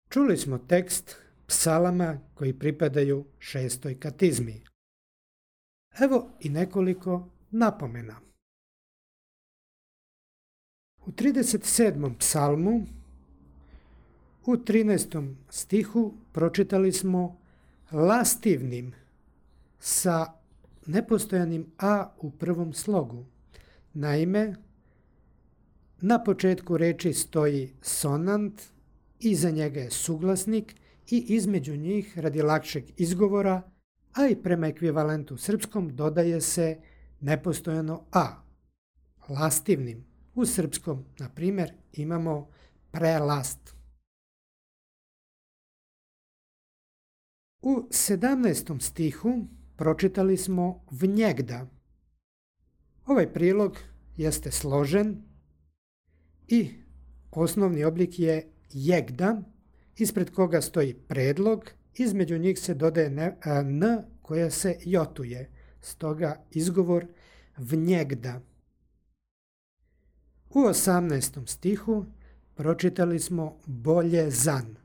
Čuli smo tekst psalama koji pripadaju 6. katizmi. Evo i nekoliko napomena. U 37. psalmu u 13. stihu pročitali smo lastivnim sa nepostojanim a u prvom slogu. Naime, na početku reči stoji sonant, iza njega je suglasnik i između njih, radi lakšeg izgovora, a i prema ekvivalentu srpskom, dodaje se nepostojano a. Lastivnim. U srpskom, na primjer, imamo prelast. U 17. stihu pročitali smo vnjegda. Ovaj prilog jeste složen i osnovni oblik je jegda, ispred koga stoji predlog, između njih se dodaje n koja se jotuje, stoga izgovor vnjegda. U 18. stihu pročitali smo boljezan.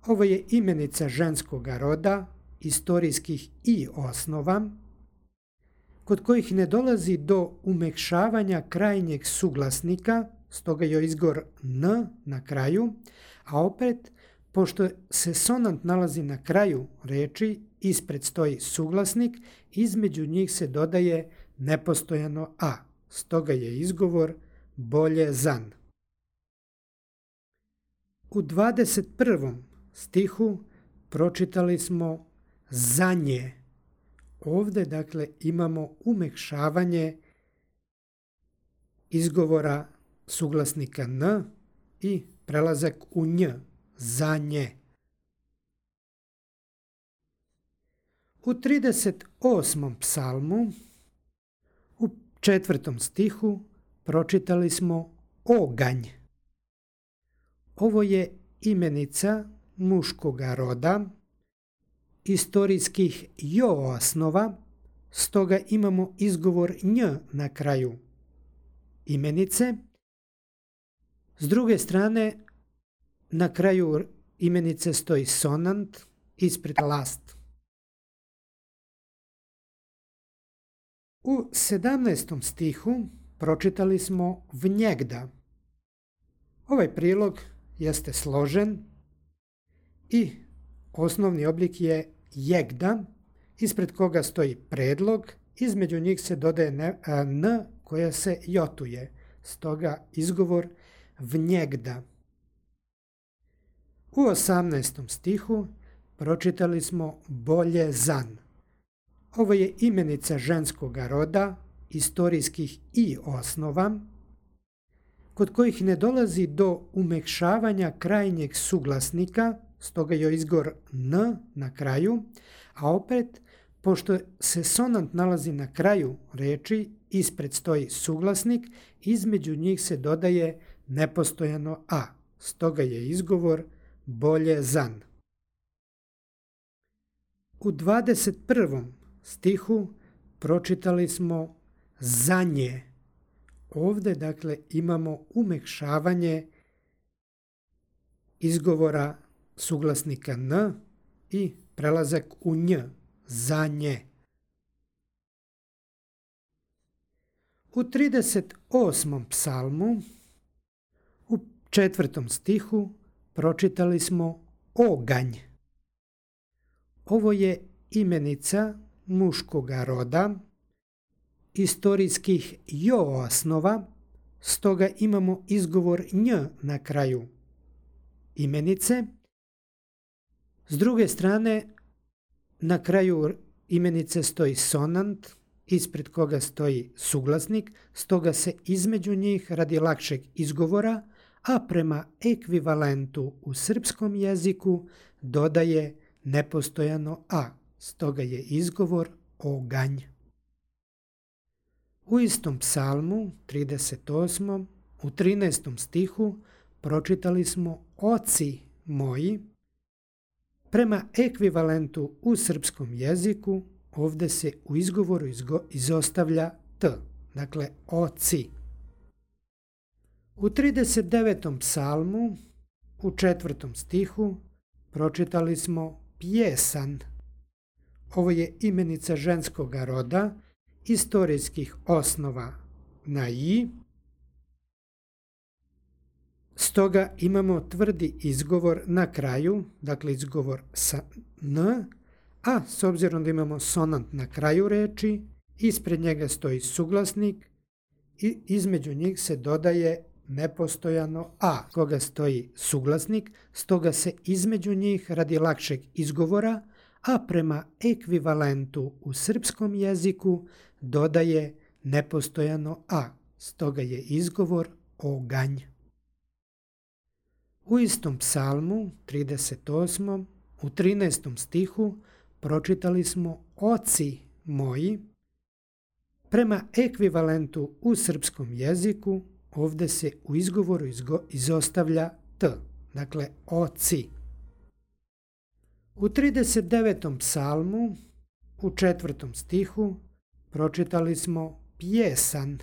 Ovo je imenica ženskog roda, istorijskih i osnova, kod kojih ne dolazi do umekšavanja krajnjeg suglasnika, stoga je izgovor n na kraju, a opet, pošto se sonant nalazi na kraju reči, ispred stoji suglasnik, između njih se dodaje nepostojano a, stoga je izgovor boljezan. U 21. stihu pročitali smo zanje. Ovdje, dakle, imamo umekšavanje izgovora suglasnika n i prelazak u nj, zanje. U 38. psalmu, u 4. stihu, pročitali smo oganj. Ovo je imenica muškoga roda, istorijskih osnova, stoga imamo izgovor nj na kraju imenice. S druge strane, na kraju imenice stoji sonant, ispred last. U 17. stihu pročitali smo vnjegda. Ovaj prilog jeste složen i osnovni oblik je jegda, ispred koga stoji predlog, između njih se dodaje n koja se jotuje, stoga izgovor vnjegda. U 18. stihu pročitali smo boljezan. Ovo je imenica ženskog roda, istorijskih i osnova, kod kojih ne dolazi do umekšavanja krajnjeg suglasnika, stoga je izgovor n na kraju, a opet, pošto se sonant nalazi na kraju reči, ispred stoji suglasnik, između njih se dodaje nepostojano a, stoga je izgovor boljezan. U 21. stihu pročitali smo zanje. Ovdje, dakle, imamo umekšavanje izgovora suglasnika n i prelazak u nj, zanje. U 38. psalmu, u 4. stihu, pročitali smo oganj. Ovo je imenica muškoga roda, istorijskih osnova, stoga imamo izgovor nj na kraju imenice. S druge strane, na kraju imenice stoji sonant, ispred koga stoji suglasnik, stoga se između njih, radi lakšeg izgovora, a prema ekvivalentu u srpskom jeziku, dodaje nepostojano a, stoga je izgovor oganj. U istom psalmu, 38. u 13. stihu, pročitali smo oci moji. Prema ekvivalentu u srpskom jeziku, ovdje se u izgovoru izostavlja t, dakle oci. U 39. psalmu, U 4. stihu pročitali smo pjesan. Ovo je imenica ženskog roda, istorijskih osnova na i. Stoga imamo tvrdi izgovor na kraju, dakle izgovor sa n, a s obzirom da imamo sonant na kraju reči, ispred njega stoji suglasnik i između njih se dodaje nepostojano a, koga stoji suglasnik, stoga se između njih radi lakšeg izgovora, a prema ekvivalentu u srpskom jeziku dodaje nepostojano a, stoga je izgovor oganj. U istom psalmu, 38. u 13. stihu pročitali smo oci moji. Prema ekvivalentu u srpskom jeziku ovdje se u izgovoru izostavlja t, dakle oci. U 39. psalmu, u 4. stihu pročitali smo pjesan.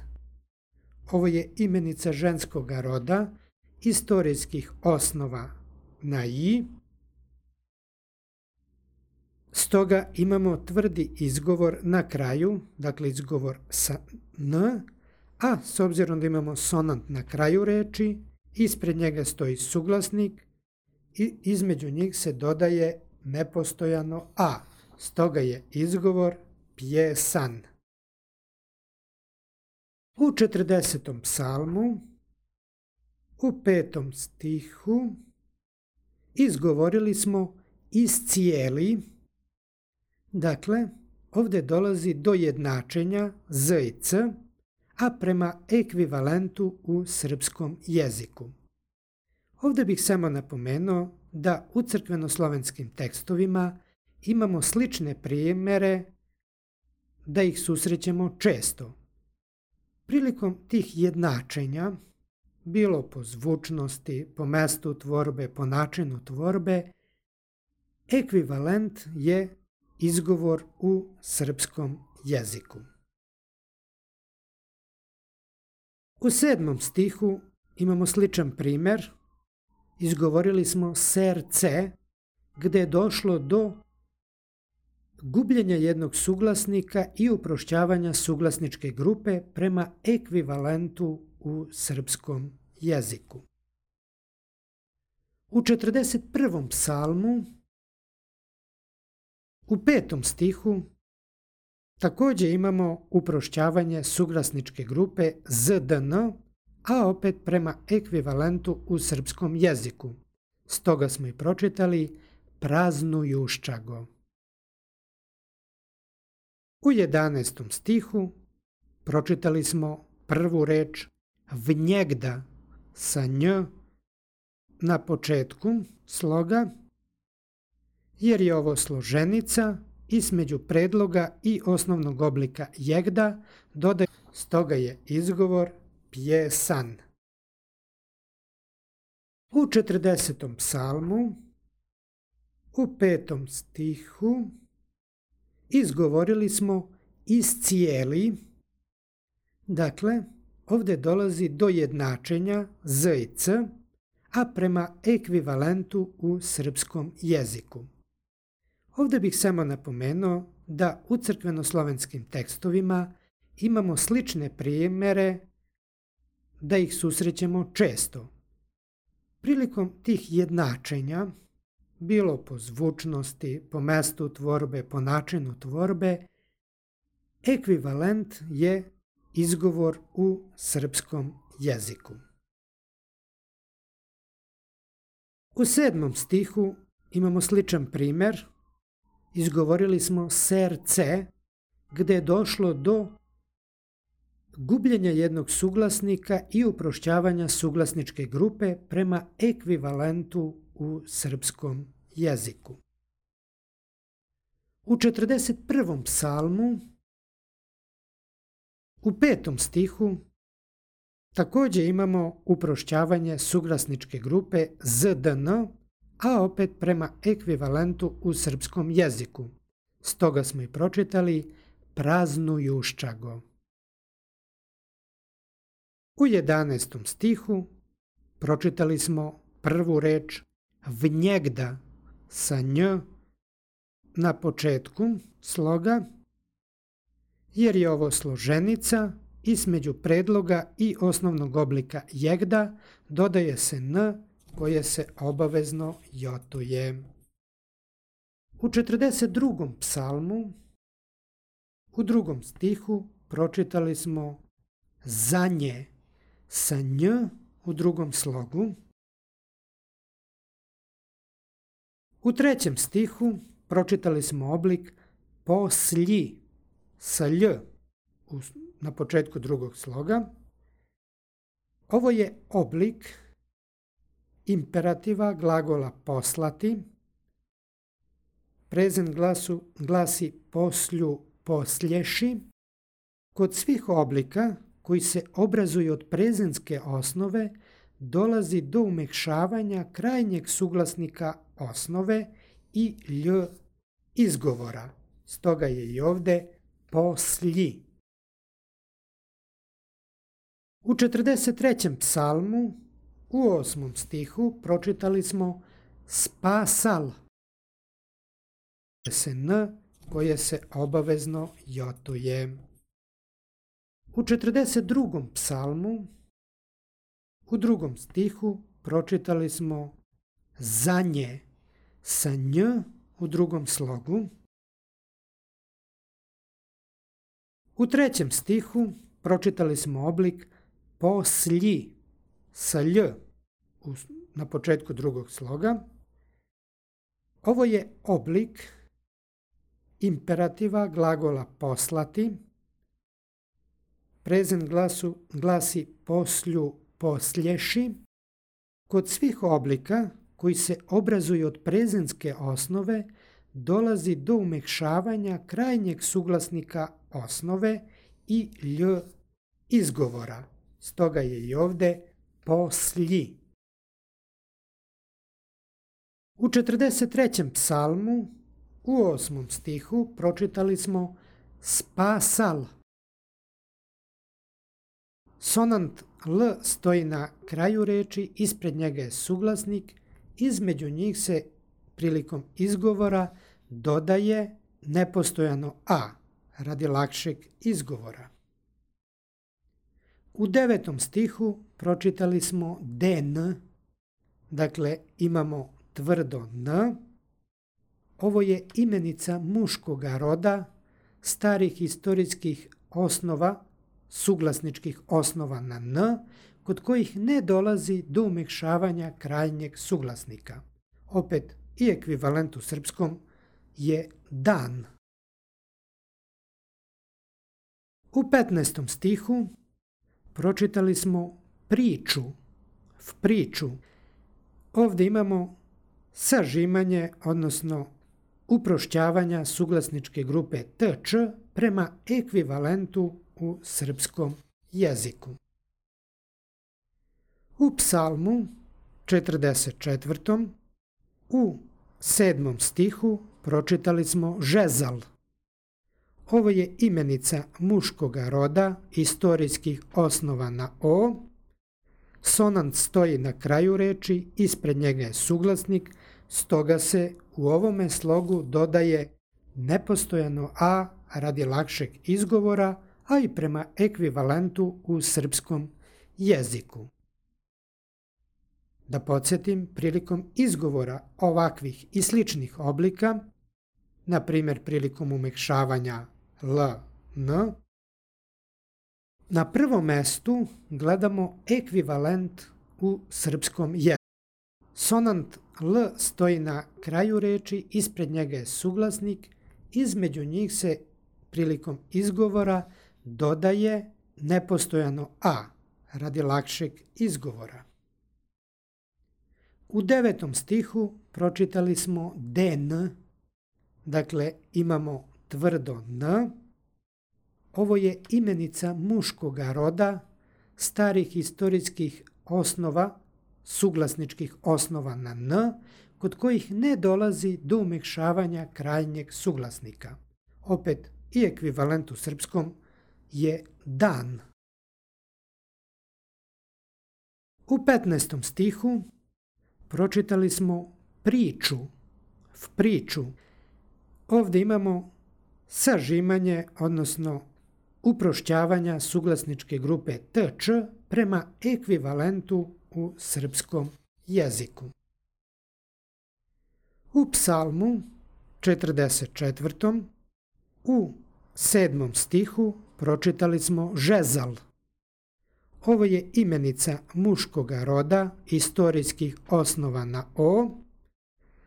Ovo je imenica ženskog roda, istorijskih osnova na i. Stoga imamo tvrdi izgovor na kraju, dakle izgovor sa n, a s obzirom da imamo sonant na kraju reči, ispred njega stoji suglasnik i između njih se dodaje nepostojano a, stoga je izgovor pjesan. U 40. psalmu, u 5. stihu izgovorili smo iscijeli. Dakle, ovdje dolazi do jednačenja z i c, a prema ekvivalentu u srpskom jeziku. Ovdje bih samo napomenuo da u crkvenoslovenskim tekstovima imamo slične primjere, da ih susrećemo često. Prilikom tih jednačenja, bilo po zvučnosti, po mestu tvorbe, po načinu tvorbe, ekvivalent je izgovor u srpskom jeziku. U 7. stihu imamo sličan primjer. Izgovorili smo serce, gdje je došlo do gubljenja jednog suglasnika i uprošćavanja suglasničke grupe prema ekvivalentu u srpskom jeziku. U 41. psalmu, u 5. stihu također imamo uprošćavanje suglasničke grupe zdn, a opet prema ekvivalentu u srpskom jeziku. Stoga smo i pročitali praznujuščago. U 11. stihu pročitali smo prvu reč vnjegda sa nj na početku sloga, jer je ovo složenica između predloga i osnovnog oblika jegda, stoga je izgovor pjesan. U 40. psalmu, u 5. stihu izgovorili smo iscijeli. Dakle, ovdje dolazi do jednačenja z i c, a prema ekvivalentu u srpskom jeziku. Ovdje bih samo napomenuo da u crkvenoslovenskim tekstovima imamo slične primjere, da ih susrećemo često. Prilikom tih jednačenja, bilo po zvučnosti, po mestu tvorbe, po načinu tvorbe, ekvivalent je izgovor u srpskom jeziku. U 7. stihu imamo sličan primjer. Izgovorili smo serce, gdje je došlo do gubljenja jednog suglasnika i uprošćavanja suglasničke grupe prema ekvivalentu u srpskom jeziku. U 41. psalmu, u 5. stihu također imamo uprošćavanje suglasničke grupe zdn, a opet prema ekvivalentu u srpskom jeziku. Stoga smo i pročitali praznujuščago. U 11. stihu pročitali smo prvu reč vnjegda sa nj na početku sloga, jer je ovo složenica, između predloga i osnovnog oblika jegda dodaje se n koje se obavezno jotuje. U 42. psalmu u 2. stihu pročitali smo zanje sa nj u drugom slogu. U 3. stihu pročitali smo oblik poslji sa lj na početku drugog sloga. Ovo je oblik imperativa glagola poslati. Prezent glasi poslju, poslješi. Kod svih oblika koji se obrazuju od prezentske osnove dolazi do umekšavanja krajnjeg suglasnika osnove i lj izgovora. Stoga je i ovde poslji. U 43. psalmu u 8. stihu pročitali smo spasal se n koje se obavezno jotuje. U 42. psalmu u 2. stihu pročitali smo zanje sa nj u drugom slogu. U 3. stihu pročitali smo oblik poslji sa lj na početku drugog sloga. Ovo je oblik imperativa glagola poslati. Prezent glasi poslju, poslješi. Kod svih oblika koji se obrazuju od prezentske osnove dolazi do umekšavanja krajnjeg suglasnika osnove i lj izgovora. Stoga je i ovde poslji. U 43. psalmu u 8. stihu pročitali smo spasal. Sonant l stoji na kraju reči, ispred njega je suglasnik, između njih se prilikom izgovora dodaje nepostojano a radi lakšeg izgovora. U 9. stihu pročitali smo den, dakle imamo tvrdo n. Ovo je imenica muškoga roda, starih historijskih osnova, suglasničkih osnova na n, kod kojih ne dolazi do umekšavanja krajnjeg suglasnika. Opet i ekvivalent u srpskom je dan. U 15. stihu pročitali smo priču, v priču. Ovdje imamo sažimanje, odnosno uprošćavanja suglasničke grupe tč prema ekvivalentu u srpskom jeziku. U psalmu 44. u 7. stihu pročitali smo žezal. Ovo je imenica muškoga roda, historijskih osnova na o. Sonant stoji na kraju reči, ispred njega je suglasnik, stoga se u ovome slogu dodaje nepostojano a radi lakšeg izgovora, a i prema ekvivalentu u srpskom jeziku. Da podsjetim, prilikom izgovora ovakvih i sličnih oblika, na primjer prilikom umekšavanja l, n, na prvom mestu gledamo ekvivalent u srpskom jeziku. Sonant l stoji na kraju reči, ispred njega je suglasnik, između njih se prilikom izgovora dodaje nepostojano a radi lakšeg izgovora. U 9. stihu pročitali smo den, dakle imamo tvrdo n. Ovo je imenica muškoga roda, starih historijskih osnova, suglasničkih osnova na n, kod kojih ne dolazi do umekšavanja krajnjeg suglasnika. Opet i ekvivalent u srpskom je dan. U 15. stihu pročitali smo priču, priču. Ovdje imamo sažimanje, odnosno uprošćavanja suglasničke grupe tč prema ekvivalentu u srpskom jeziku. U psalmu 44. u 7. stihu pročitali smo žezal. Ovo je imenica muškoga roda, istorijskih osnova na o.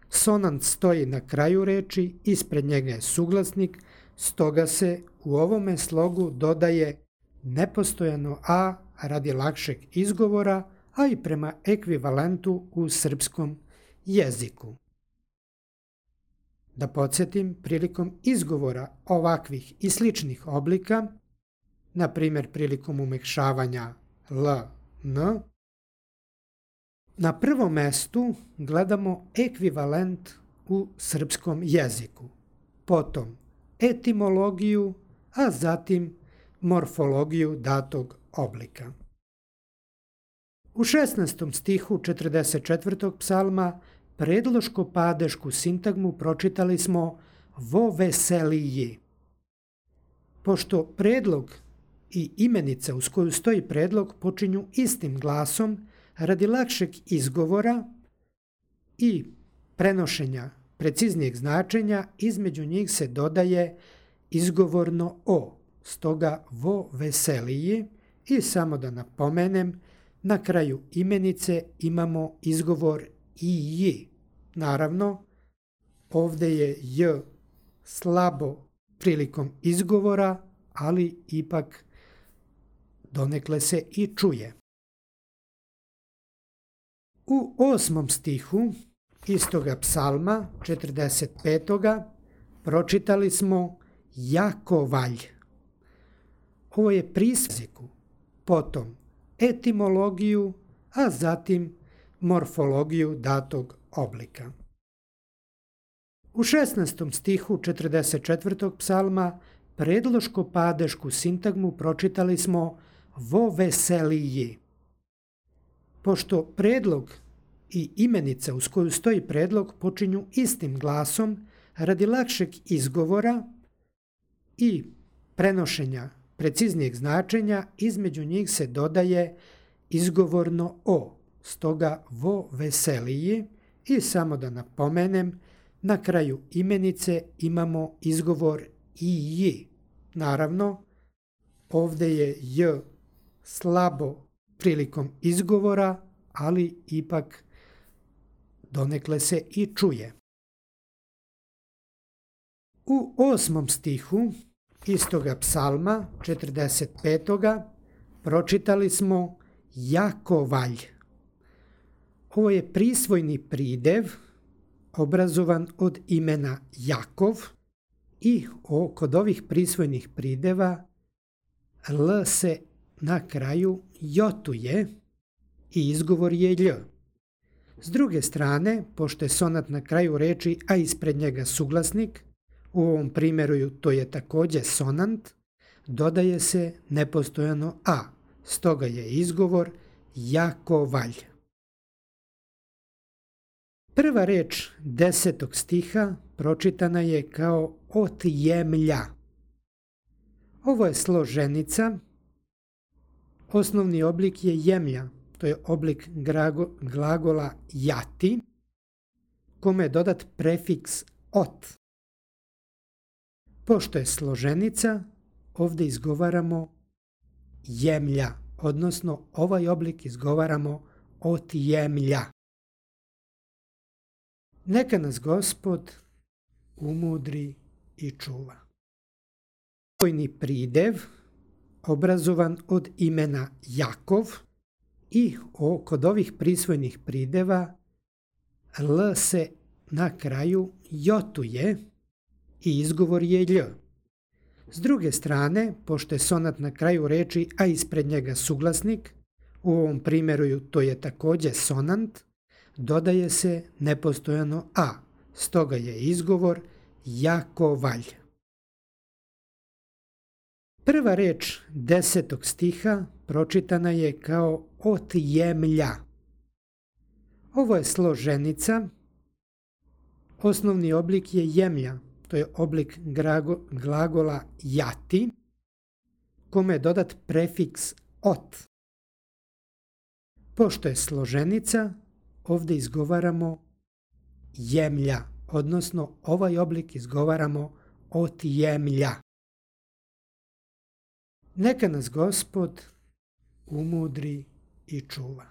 Sonant stoji na kraju reči, ispred njega je suglasnik, stoga se u ovome slogu dodaje nepostojano a radi lakšeg izgovora, a i prema ekvivalentu u srpskom jeziku. Da podsjetim, prilikom izgovora ovakvih i sličnih oblika, na primjer prilikom umekšavanja l, n, na prvom mestu gledamo ekvivalent u srpskom jeziku, potom etimologiju, a zatim morfologiju datog oblika. U 16. stihu 44. psalma predloško-padešku sintagmu pročitali smo vo veseliji. Pošto predlog i imenica uz koju stoji predlog počinju istim glasom, radi lakšeg izgovora i prenošenja preciznijeg značenja, između njih se dodaje izgovorno o, stoga vo veseliji. I samo da napomenem, na kraju imenice imamo izgovor i j. Naravno, ovdje je j slabo prilikom izgovora, ali ipak donekle se i čuje. U 8. stihu istoga psalma 45. pročitali smo Jakovalj. Ovo je prisjeku, potom etimologiju, a zatim morfologiju datog oblika. U 16. stihu 44. psalma predloško-padešku sintagmu pročitali smo vo veseliji. Pošto predlog i imenica uz koju stoji predlog počinju istim glasom, radi lakšeg izgovora i prenošenja preciznijeg značenja, između njih se dodaje izgovorno o, stoga vo veseliji. I samo da napomenem, na kraju imenice imamo izgovor i j. Naravno, ovdje je j slabo prilikom izgovora, ali ipak donekle se i čuje. U 8. stihu istoga psalma 45. pročitali smo Jakovalj. Ovo je prisvojni pridev obrazovan od imena Jakov i kod ovih prisvojnih prideva l se na kraju jotuje i izgovor je lj. S druge strane, pošto je sonat na kraju reči, a ispred njega suglasnik, u ovom primjeru to je također sonant, dodaje se nepostojano a, stoga je izgovor Jakovalj. Prva reč 10. stiha pročitana je kao otjemlja. Ovo je složenica. Osnovni oblik je jemlja, to je oblik glagola jati, kome je dodat prefiks ot. Pošto je složenica, ovdje izgovaramo jemlja, odnosno ovaj oblik izgovaramo otjemlja. Neka nas Gospod umudri i čuva. Prisvojni pridev obrazovan od imena Jakov i kod ovih prisvojnih prideva l se na kraju jotuje i izgovor je lj. S druge strane, pošto je sonat na kraju reči, a ispred njega suglasnik, u ovom primjeru to je također sonant, dodaje se nepostojano a, stoga je izgovor Jakovalj. Prva reč 10. stiha pročitana je kao otjemlja. Ovo je složenica. Osnovni oblik je jemlja. To je oblik glagola jati, kome je dodat prefiks ot. Pošto je složenica, ovdje izgovaramo jemlja, odnosno ovaj oblik izgovaramo otjemlja. Neka nas Gospod umudri i čuva.